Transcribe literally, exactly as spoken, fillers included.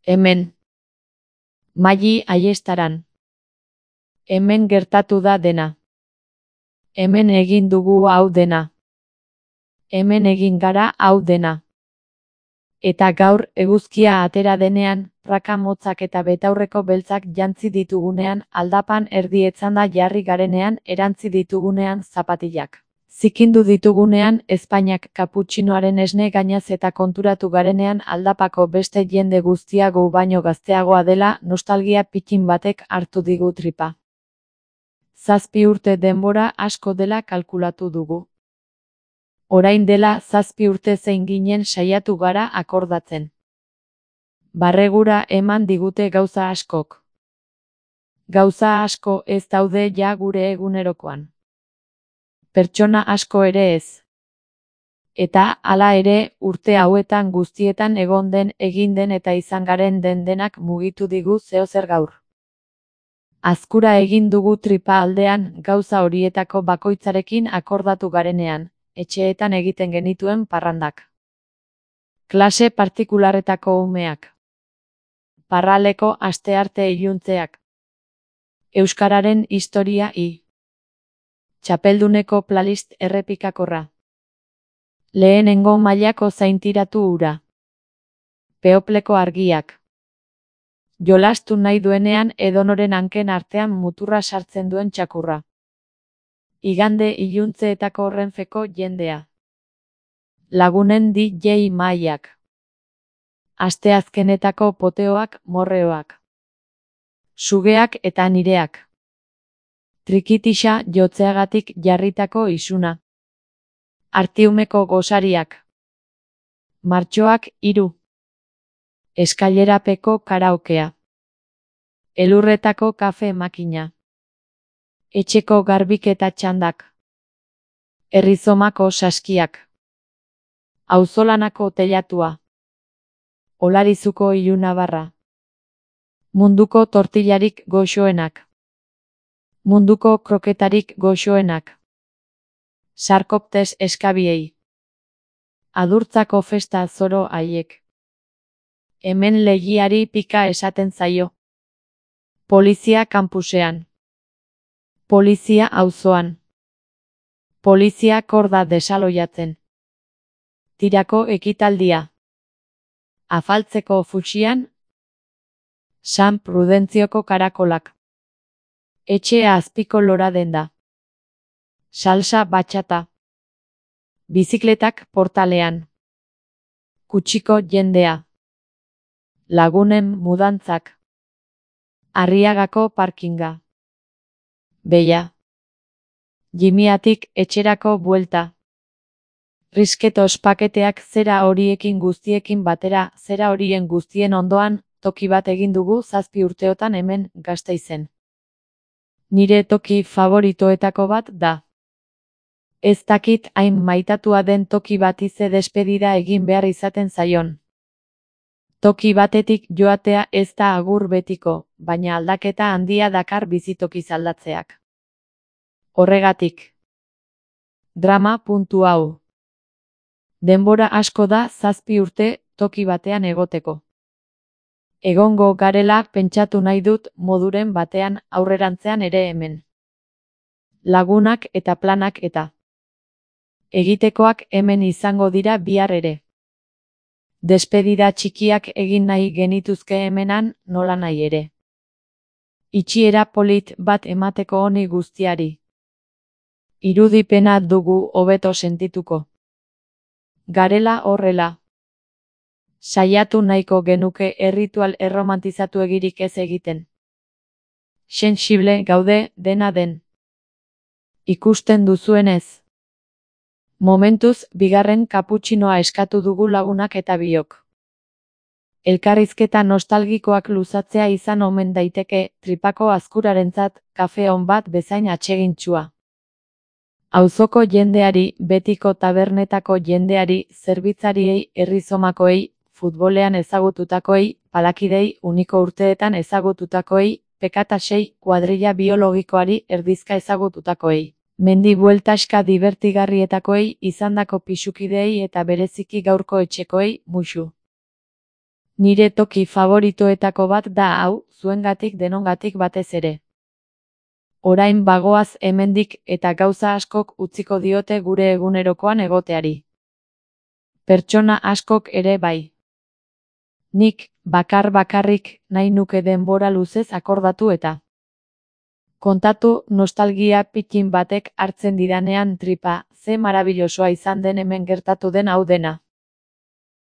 Hemen. Maili Aiestaran. Hemen gertatu da dena. Hemen egin dugu hau dena. Hemen egin gara hau dena. Eta gaur, eguzkia atera denean, praka motzak eta betaurreko beltzak jantzi ditugunean, aldapan erdi etzanda jarri garenean, erantzi ditugunean zapatilak. Zikindu ditugunean, ezpainak kaputxinoaren esne gainaz eta konturatu garenean aldapako beste jende guztia gu baino gazteagoa dela, nostalgia pikin batek hartu digu tripa. Zazpi urte denbora asko dela kalkulatu dugu. Orain dela zazpi urte zein ginen saiatu gara akordatzen. Barregura eman digute gauza askok. Gauza asko ez daude ja gure egunerokoan. Pertsona asko ere ez. Eta, hala ere, urte hauetan guztietan egon den, egin den eta izan garen den denak mugitu digu zeozer gaur. Azkura egin dugu tripa aldean, gauza horietako bakoitzarekin akordatu garenean, etxeetan egiten genituen parrandak. Klase partikularretako umeak. Parraleko astearte iluntzeak. Euskararen historia i. Txapelduneko playlist errepikakorra. Lehenengo mailako zaintiratu ura. Peopleko argiak. Jolastu nahi duenean edonoren hanken artean muturra sartzen duen txakurra. Igande iluntzeetako Renfeko jendea. Lagunen D J mailak. Asteazkenetako poteoak, morreoak. Sugeak eta nireak. Trikitixa jotzeagatik jarritako isuna. Artiumeko gosariak. Martxoak hiru. Eskailerapeko karaokea. Elurretako kafe makina. Etxeko garbiketa txandak. Errizomako saskiak. Auzolanako teilatua. Olarizuko ilunabarra. Munduko tortillarik goxoenak. Munduko kroketarik goxoenak. Sarkoptes eskabiei. Adurtzako festa zoro haiek. Hemen legiari pika esaten zaio. Polizia kanpusean. Polizia auzoan. Polizia korda desaloiatzen. Tirako ekitaldia. Afaltzeko futsian. San Prudentzioko karakolak. Etxea azpiko lora denda. Salsa batxata. Bizikletak portalean. Kutsiko jendea. Lagunen mudantzak. Arriagako parkinga. Beia. Jimiatik etxerako buelta. Risketos paketeak zera horiekin guztiekin batera, zera horien guztien ondoan, toki bat egin dugu zazpi urteotan hemen Gasteizen. Nire toki favoritoetako bat da. Ez dakit hain maitatua den toki bati ze despedida egin behar izaten zaion. Toki batetik joatea ez da agur betiko, baina aldaketa handia dakar bizitokiz aldatzeak. Horregatik. Drama puntu hau. Denbora asko da zazpi urte toki batean egoteko. Egongo garela pentsatu nahi dut moduren batean aurrerantzean ere hemen. Lagunak eta planak eta. Egitekoak hemen izango dira bihar ere. Despedida txikiak egin nahi genituzke hemenan nola nahi ere. Itxiera polit bat emateko honi guztiari. Irudipena dugu hobeto sentituko. Garela horrela. Saiatu nahiko genuke erritual erromantizatu egirik ez egiten. Sensible gaude dena den. Ikusten duzuenez. Momentuz, bigarren kaputxinoa eskatu dugu lagunak eta biok. Elkarrizketa nostalgikoak luzatzea izan omen daiteke, tripako azkurarentzat, kafe on bat bezain atsegintsua. Auzoko jendeari, betiko tabernetako jendeari, zerbitzariei, herrizomakoei, futbolean ezagututakoei, palakidei, uniko urteetan ezagututakoei, pekatasei, kuadrilla biologikoari erdizka ezagututakoei. Mendi bueltaska divertigarrietakoei, izandako pisukideei eta bereziki gaurko etxekoei, muxu. Nire toki favoritoetako bat da hau, zuengatik denongatik batez ere. Orain bagoaz hemendik eta gauza askok utziko diote gure egunerokoan egoteari. Pertsona askok ere bai. Nik, bakar bakarrik, nahi nuke denbora luzez akordatu eta kontatu nostalgia pitin batek hartzen didanean tripa, ze marabillosoa izan den hemen gertatu den hau dena.